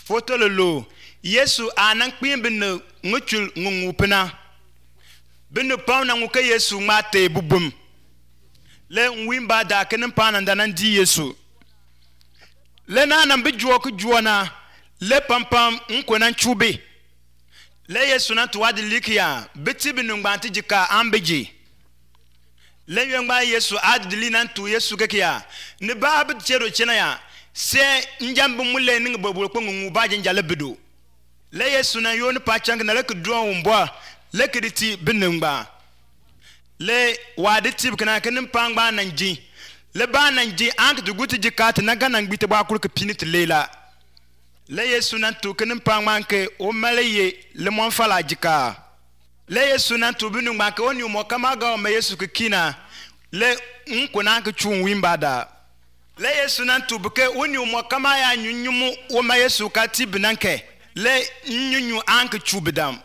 foto lolo Yesu anan kpin bin nguchul ngupena bin pam na nguka Yesu mate bubum le nwimba da kenin panan da nan di Yesu le na nan bijuo ku juona le pampam nkonan chube le Yesu na tuwadi likia biti bin ngbanti jika ambeji le yengba Yesu adili nan tu Yesu kekia ne ba bi chero chena ya se njambu mule ninga bobo ko ngu ba jinjale bido le Yesu na yoni pachang na le kudro umbo le kiditi binengba le wadi tib kana kenin pangba nanji le ba nanji ank duguti jikat na ganan gbite ba kulka pinit lela le Yesu na tu kenin pangba ke o malaye le mon fala jika le Yesu na tu binengba ke oni mo kama ga o me Yesu kina le nkuna ke chun wimbada le Yesu na tu buke oni mo kama ya nyunyumu o me Yesu ka tibnanke le nyunyu ank chubidam